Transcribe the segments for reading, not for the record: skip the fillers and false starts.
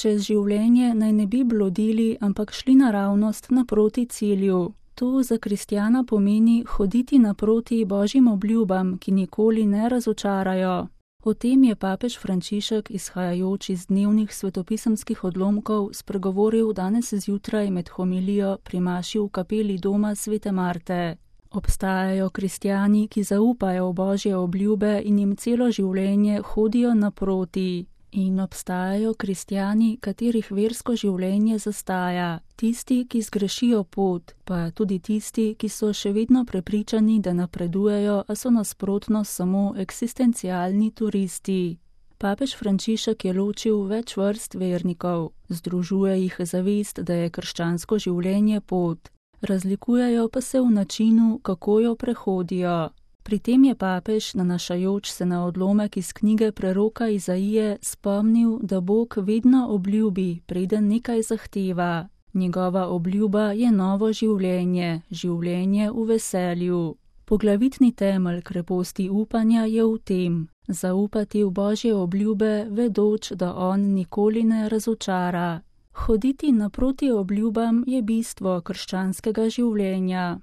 Čez življenje naj ne bi blodili, ampak šli naravnost naproti cilju. To za kristjana pomeni hoditi naproti Božjim obljubam, ki nikoli ne razočarajo. O tem je papež Frančišek, izhajajoč iz dnevnih svetopisemskih odlomkov, spregovoril danes zjutraj med homilijo pri maši v kapeli doma Svete Marte. Obstajajo kristjani, ki zaupajo v Božje obljube in jim celo življenje hodijo naproti. In obstajajo kristjani, katerih versko življenje zastaja, tisti, ki zgrešijo pot, pa tudi tisti, ki so še vedno prepričani, da napredujejo, a so nasprotno samo eksistencialni turisti. Papež Frančišek je ločil več vrst vernikov, združuje jih zavest, da je krščansko življenje pot, razlikujejo pa se v načinu, kako jo prehodijo. Pri tem je papež, nanašajoč se na odlomek iz knjige preroka Izaije, spomnil, da Bog vedno obljubi, preden nekaj zahteva. Njegova obljuba je novo življenje, življenje v veselju. Poglavitni temelj kreposti upanja je v tem, zaupati v Božje obljube, vedoč, da on nikoli ne razočara. Hoditi naproti obljubam je bistvo krščanskega življenja.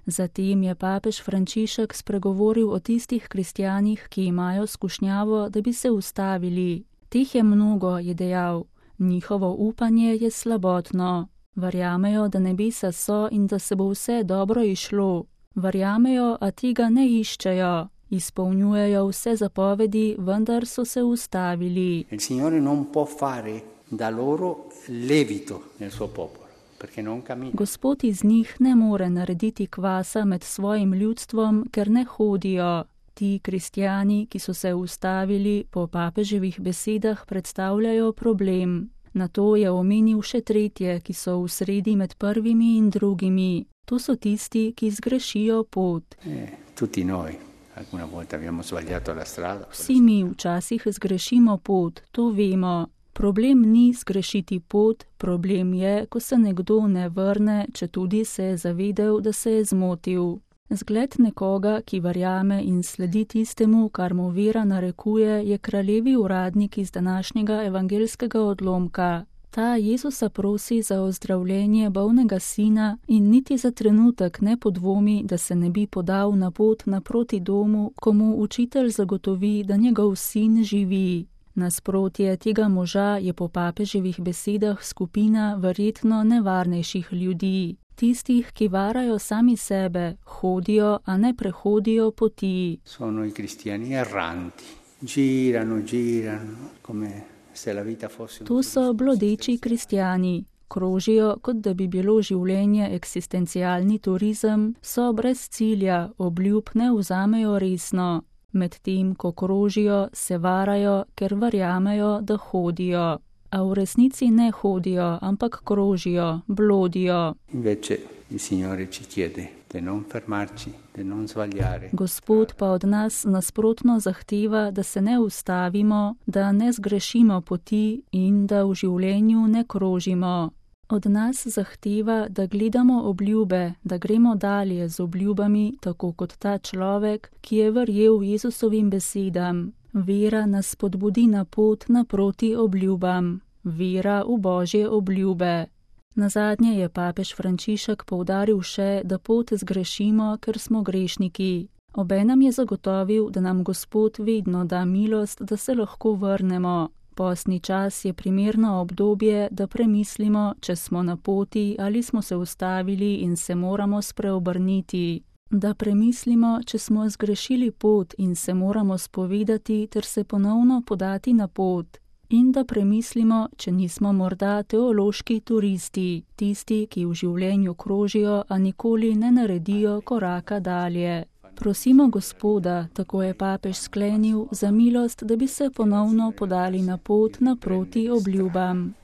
Zatem je papež Frančišek spregovoril o tistih kristjanih, ki imajo skušnjavo, da bi se ustavili. Teh je mnogo, je dejal. Njihovo upanje je slabotno. Verjamejo, da nebesa so in da se bo vse dobro izšlo. Verjamejo, a tega ne iščejo. Izpolnjujejo vse zapovedi, vendar so se ustavili. Il Signore non può fare da loro levito nel suo popolo. Gospod iz njih ne more narediti kvasa med svojim ljudstvom, ker ne hodijo. Ti kristjani, ki so se ustavili, po papeževih besedah predstavljajo problem. Nato je omenil še tretje, ki so v sredi med prvimi in drugimi. To so tisti, ki zgrešijo pot. Vsi mi včasih zgrešimo pot, to vemo. Problem ni zgrešiti pot, problem je, ko se nekdo ne vrne, četudi se je zavedel, da se je zmotil. Zgled nekoga, ki verjame in sledi tistemu, kar mu vera narekuje, je kraljevi uradnik iz današnjega evangelskega odlomka. Ta Jezusa prosi za ozdravljenje bolnega sina in niti za trenutek ne podvomi, da se ne bi podal na pot naproti domu, ko mu učitelj zagotovi, da njegov sin živi. Nasprotje tega moža je po papeževih besedah skupina verjetno nevarnejših ljudi. Tistih, ki varajo sami sebe, hodijo, a ne prehodijo poti. Sono i cristiani erranti. Girano, come se la vita fosse. To so blodeči kristjani. Krožijo, kot da bi bilo življenje eksistencialni turizem, so brez cilja, obljub ne vzamejo resno. Medtem, ko krožijo, se varajo, ker verjamejo, da hodijo. A v resnici ne hodijo, ampak krožijo, blodijo. Gospod pa od nas nasprotno zahteva, da se ne ustavimo, da ne zgrešimo poti in da v življenju ne krožimo. Od nas zahteva, da gledamo obljube, da gremo dalje z obljubami, tako kot ta človek, ki je verjel Jezusovim besedam. Vera nas spodbudi na pot naproti obljubam. Vera v Božje obljube. Nazadnje je papež Frančišek poudaril še, da pot zgrešimo, ker smo grešniki. Obenem je zagotovil, da nam Gospod vedno da milost, da se lahko vrnemo. Postni čas je primerno obdobje, da premislimo, če smo na poti ali smo se ustavili in se moramo spreobrniti. Da premislimo, če smo zgrešili pot in se moramo spovedati ter se ponovno podati na pot. In da premislimo, če nismo morda teološki turisti, tisti, ki v življenju krožijo, a nikoli ne naredijo koraka dalje. Prosimo Gospoda, tako je papež sklenil, za milost, da bi se ponovno podali na pot naproti obljubam.